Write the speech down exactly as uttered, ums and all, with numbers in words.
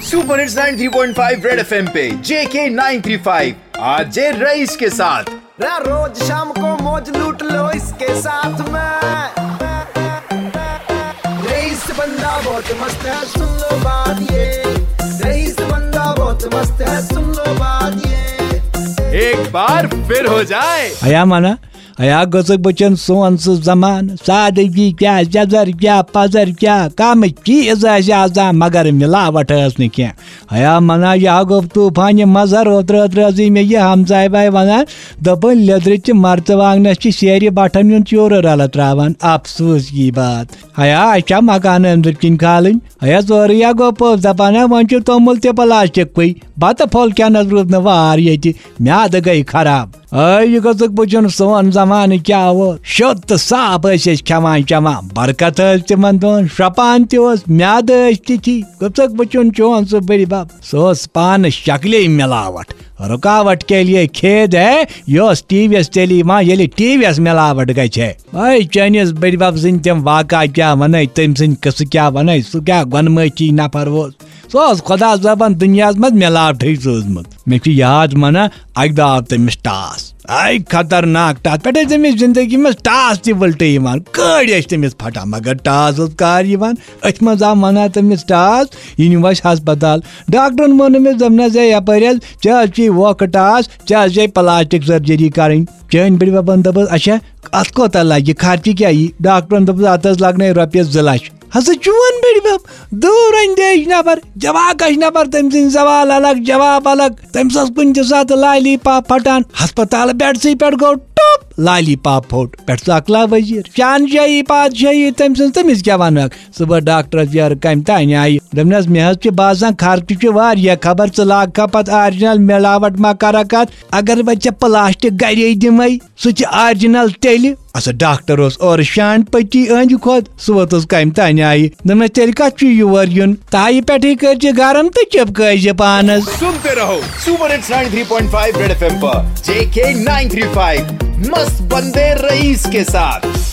Super hits ninety three point five red FM पे JK nine three five, RJ Raees के साथ। रा रोज शाम को मौज लूट लो इसके साथ में। रईस बंदा बहुत मस्त है, सुन लो बात ये। रईस बंदा बहुत मस्त है, सुन लो बात ये। एक बार फिर हो जाए। ہیا منا، ہیا گوٚژھُکھ بہٕ چون سون سُہ زمانہٕ۔ سادگی کیٛاہ، جزر کیٛاہ، پزر کیٛاہ، کم چیٖز ٲسۍ آسان، مگر مِلاوٹ ٲس نہٕ کینٛہہ۔ ہیا منا، یہِ ہا گوٚو طوٗفانہِ مظہر۔ اوترٕ، اوترٕ ٲسٕے مےٚ یہِ ہمساے باے ونان، دوٚپُن، لیٚدرِ چہِ مرژٕوانٛگنس چھِ سیرِ بٹھن ہُنٛد چوٗرٕ رلہٕ ترٛاوان۔ افسوس یی بات۔ ہیا، اَسہِ چھا مکانہٕ أنٛدٕرۍ کِنۍ کھالٕنۍ؟ ہیا، سورُے ہا گوٚو پوٚز۔ دپان ہا، وۄنۍ چھُ توٚمُل تہِ پلاسٹکٕے۔ بتہٕ پھوٚل کھٮ۪نس روٗد نہٕ وار ییٚتہِ، میادٕ گٔے خراب۔ اے، یہِ گوٚژھُکھ بہٕ چون سون زمانہٕ کیٛاہ اوس۔ شوٚد تہٕ صاف ٲسۍ أسۍ کھٮ۪وان چٮ۪وان۔ برکت ٲس تِمن دۄہن، شرٛپان تہِ اوس، میادٕ ٲسۍ تِتھی۔ گوٚژھُکھ بہٕ چون چون سُہ بٕڈِ بب۔ سُہ اوس پانہٕ شکلے ملاوٹ۔ رکاوٹ کے لیے کھید ہے، یہِ اوس ٹی وی یس تیٚلہِ یِوان، ییٚلہِ ٹی وی یس ملاوٹ گژھِ ہے۔ اے، چٲنِس بٕڈِ بب سٕنٛدۍ تِم واقعہ کیٛاہ ونے، تٔمۍ سٕنٛدۍ قصہٕ کیٛاہ ونے، سُہ کیٛاہ گۄنمٲچی نفر اوس۔ سُہ اوس خۄدا صٲبن دُنیاہس منٛز مِلاوٹھٕے سوٗزمُت۔ مےٚ چھُ یاد ونان، اکہِ دۄہ آو تٔمِس ٹاس۔ اے خطرناک ٹاس، پٮ۪ٹھٕ ٲسۍ تٔمِس زندگی منٛز ٹاس تہِ وٕلٹہٕ یِوان، کٔڑۍ ٲسۍ تٔمِس پھٹان، مگر ٹاس اوس کار یِوان۔ أتھۍ منٛز آو ونان تٔمِس ٹاس، یہِ نیوٗ اَسہِ ہسپتال۔ ڈاکٹرن ووٚن أمِس، دوٚپنس، "ہے یپٲرۍ حظ، ژےٚ حظ چھُے ووکھٕ ٹاس، ژےٚ حظ چھے پلاسٹک سرجری کرٕنۍ۔" چٲنۍ بٕڈِ ببن دوٚپُس، "اچھا، اتھ کوتاہ لگہِ، خرچہٕ کیٛاہ یی؟" ڈاکٹرن دوٚپُس، "اتھ حظ لگنے رۄپیس زٕ لچھ۔" ہسا چون بٕڈِ بب، دوٗر اندیش نفر، جواکش نفر، تٔمۍ سٕنٛدۍ سوال الگ، جواب الگ۔ تٔمِس ٲس کُنہِ تہِ ساتہٕ لالی پاپ پھٹان۔ ہسپتال بیڈسٕے پٮ۪ٹھ گوٚو ٹوٚپ، لالی پاپ پھوٚٹ۔ پٮ۪ٹھ سُہ اکلا وزیر، شہنشاہی پادشاہی تٔمۍ سٕنٛز، تٔمِس کیٛاہ ونہٕ؟ صبح ڈاکٹرس یورٕ کمہِ تانۍ آیہِ۔ دوٚپنس، "مےٚ حظ چھِ باسان خرچہٕ چھُ واریاہ، خبر ژٕ لاگکھا پتہٕ آرجنل ملاوٹ ما کرکھ اتھ؟ اگر وۄنۍ ژےٚ پلاسٹک گرے دِمے، سُہ تہِ آرجنل تیٚلہِ۔" اَسا ڈاکٹر اوس اورٕ شانڈ پٔتی أہنٛدِ کھۄتہٕ، سُہ ووتُس کمہِ تانۍ آیہِ۔ دوٚپنس، "تیٚلہِ کتھ چھُ یور یُن؟ تایہِ پٮ۪ٹھٕے کٔرۍ زِ گرم تہٕ چپکٲے زِ پانس۔" सुनते रहो super hits ninety three point five red FM पर जेके नाइन थ्री फ़ाइव, मस्त बंदे रईस के साथ।